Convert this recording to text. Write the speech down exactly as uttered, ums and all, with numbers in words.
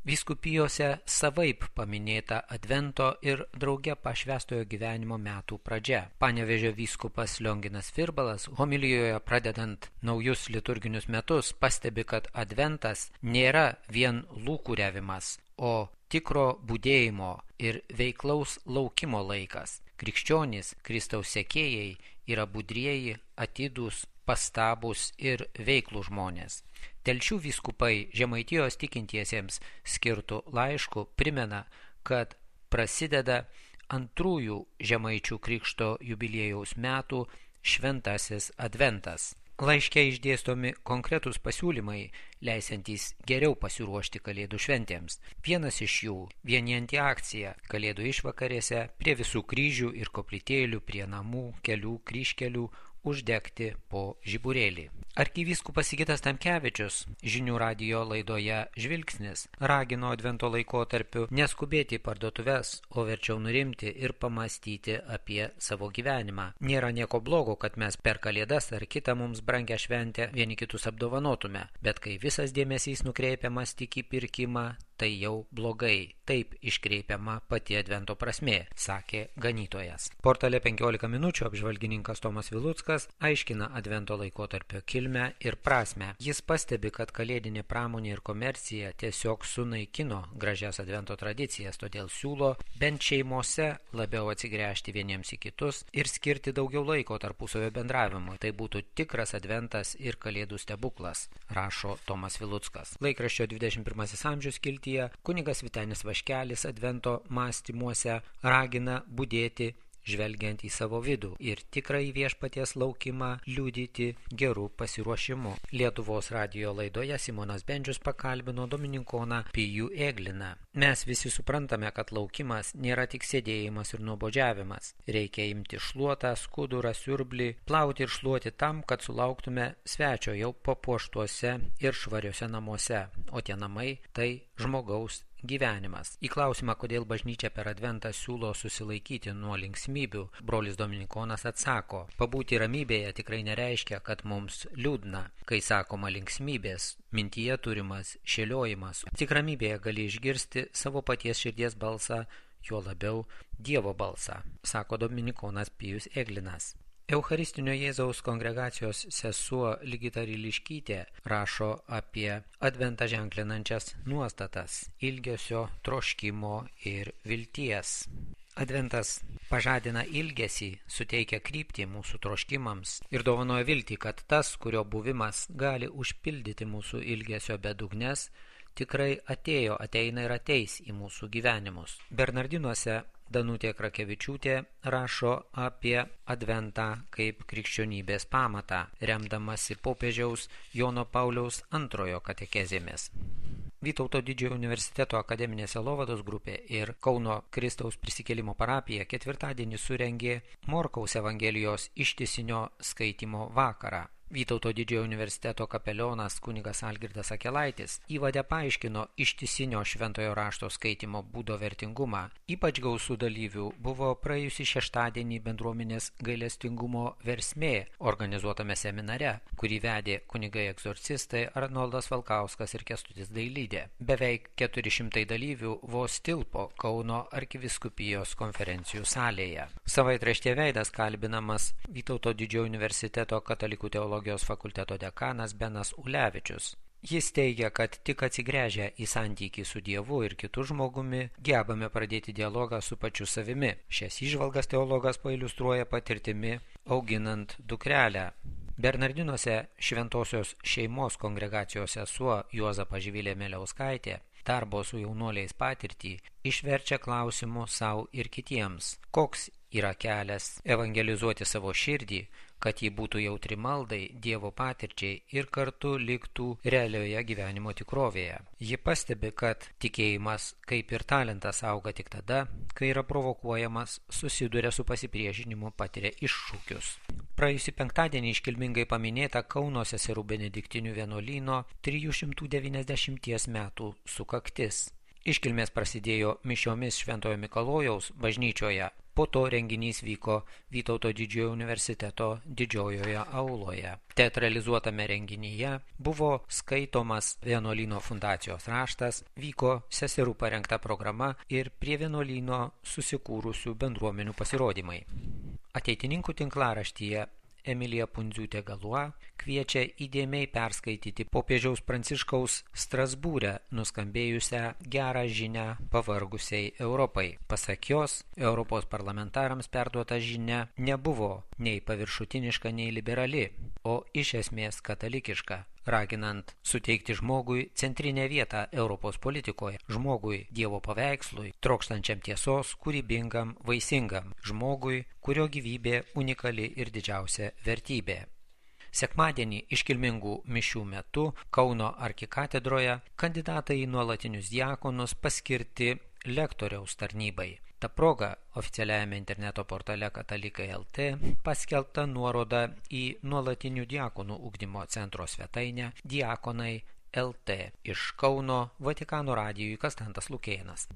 Vyskupijose savaip paminėta Advento ir drauge pašvęstojo gyvenimo metų pradžia. Panevėžio vyskupas Lionginas Virbalas homilijoje pradedant naujus liturginius metus pastebi, kad Adventas nėra vien lūkuriavimas, o tikro budėjimo ir veiklaus laukimo laikas. Krikščionys, Kristaus sekėjai yra budrieji, atidūs, pastabūs ir veiklų žmonės. Telšių vyskupai Žemaitijos tikintiesiems skirtų laiškų primena, kad prasideda antrųjų Žemaičių krikšto jubiliejaus metų šventasis Adventas. Laiške išdėstomi konkretūs pasiūlymai, leisiantys geriau pasiruošti Kalėdų šventėms. Vienas iš jų – vienijanti akcija Kalėdų išvakarėse prie visų kryžių ir koplytėlių, prie namų, kelių, kryžkelių, uždegti po žiburėlį. Arkivyskupas Sigitas Tamkevičius žinių radijo laidoje Žvilgsnis ragino Advento laikotarpiu neskubėti į parduotuves, o verčiau nurimti ir pamastyti apie savo gyvenimą. Nėra nieko blogo, kad mes per Kalėdas ar kitą mums brangią šventę vieni kitus apdovanotume, bet kai visas dėmesys nukreipiamas tik į pirkimą, tai jau blogai. Taip iškreipiama pati Advento prasmė, sakė ganytojas. Portale penkiolika minučių apžvalgininkas Tomas Viluckas aiškina Advento laikotarpio kilmę ir prasmę. Jis pastebi, kad kalėdinė pramonė ir komercija tiesiog sunaikino gražias Advento tradicijas, todėl siūlo bent šeimose labiau atsigręžti vieniems į kitus ir skirti daugiau laiko tarpusavio bendravimui. Tai būtų tikras Adventas ir Kalėdų stebuklas, rašo Tomas Viluckas. Laikraščio dvidešimt pirmasis amžius kilti kunigas Vytenis Vaškelis Advento mąstymuose ragina budėti, žvelgiant į savo vidų ir tikrąjį viešpaties laukimą liudyti gerų pasiruošimu. Lietuvos radijo laidoje Simonas Bendžius pakalbino dominikoną Pijų Egliną. Mes visi suprantame, kad laukimas nėra tik sėdėjimas ir nuobodžiavimas. Reikia imti šluotą, skudurą, siurblį, plauti ir šluoti tam, kad sulauktume svečio jau papuoštuose ir švariuose namuose, o tie namai tai žmogaus gyvenimas. Į klausimą, kodėl bažnyčia per Adventą siūlo susilaikyti nuo linksmybių, brolis dominikonas atsako, pabūti ramybėje tikrai nereiškia, kad mums liūdna. Kai sakoma linksmybės, mintyje turimas šėliojimas. Tik ramybėje gali išgirsti savo paties širdies balsą, juo labiau Dievo balsą, sako dominikonas Pijus Eglinas. Eucharistinio Jėzaus kongregacijos sesuo Ligita Ryliškytė rašo apie Adventą ženklinančias nuostatas ilgesio, troškimo ir vilties. Adventas pažadina ilgesį, suteikia kryptį mūsų troškimams ir dovanoja viltį, kad tas, kurio buvimas gali užpildyti mūsų ilgesio bedugnes, tikrai atėjo, ateina ir ateis į mūsų gyvenimus. Bernardinuose Danutė Krakevičiūtė rašo apie Adventą kaip krikščionybės pamatą, remdamasi popiežiaus Jono Pauliaus antrojo katekezėmis. Vytauto Didžiojo universiteto akademinė sielovados grupė ir Kauno Kristaus prisikėlimo parapija ketvirtadienį surengė Morkaus Evangelijos ištisinio skaitymo vakarą. Vytauto Didžiojo universiteto kapelionas kunigas Algirdas Akelaitis įvade paaiškino ištisinio šventojo rašto skaitymo būdo vertingumą. Ypač gausų dalyvių buvo praėjusį šeštadienį bendruomenės gailestingumo versmė organizuotame seminare, kurį vedė kunigai egzorcistai Arnoldas Valkauskas ir Kęstutis Dailydė. Beveik keturi šimtai dalyvių vos tilpo Kauno arkivyskupijos konferencijų salėje. Savaitraštyje Veidas kalbinamas Vytauto Didžiojo universiteto katalikų teologijos fakulteto dekanas Benas Ulevičius. Jis teigia, kad tik atsigręžę į santykį su Dievu ir kitu žmogumi, gebame pradėti dialogą su pačiu savimi. Šias įžvalgas teologas pailiustruoja patirtimi auginant dukrelę. Bernardinuose šventosios šeimos kongregacijos sesuo Juozapa Živilė Meliauskaitė darbo su jaunuoliais patirtį išverčia klausimų sau ir kitiems. Koks yra kelias evangelizuoti savo širdį, kad ji būtų jautri maldai, Dievo patirčiai ir kartu liktų realioje gyvenimo tikrovėje. Ji pastebi, kad tikėjimas, kaip ir talentas, auga tik tada, kai yra provokuojamas, susiduria su pasipriešinimu, patiria iššūkius. Praėjusį penktadienį iškilmingai paminėta Kauno seserų benediktinių vienuolyno trijų šimtų devyniasdešimties metų sukaktis. Iškilmės prasidėjo mišiomis Šventojo Mikalojaus bažnyčioje. Po to renginys vyko Vytauto didžiojo universiteto didžiojoje auloje. Teatralizuotame renginyje buvo skaitomas vienuolyno fundacijos raštas, vyko seserų parengta programa ir prie vienuolyno susikūrusių bendruomenių pasirodymai. Ateitininkų tinklaraštyje Emilija Pundziūtė Galua kviečia įdėmiai perskaityti popiežiaus Pranciškaus Strasbūre nuskambėjusią gerą žinią pavargusiai Europai. Pasak jos, Europos parlamentarams perduota žinia nebuvo nei paviršutiniška, nei liberali, o iš esmės katalikiška, raginant suteikti žmogui centrinę vietą Europos politikoje, žmogui Dievo paveikslui, trokštančiam tiesos, kūrybingam, vaisingam, žmogui, kurio gyvybė unikali ir didžiausia vertybė. Sekmadienį iškilmingų mišių metu Kauno arkikatedroje kandidatai į nuolatinius diakonus paskirti lektoriaus tarnybai. Ta proga oficialiajame interneto portale Katalikai taškas lt paskelbta nuoroda į nuolatinių diakonų ugdymo centro svetainę Diakonai taškas lt. Iš Kauno Vatikano radijui Konstantas Lukėnas.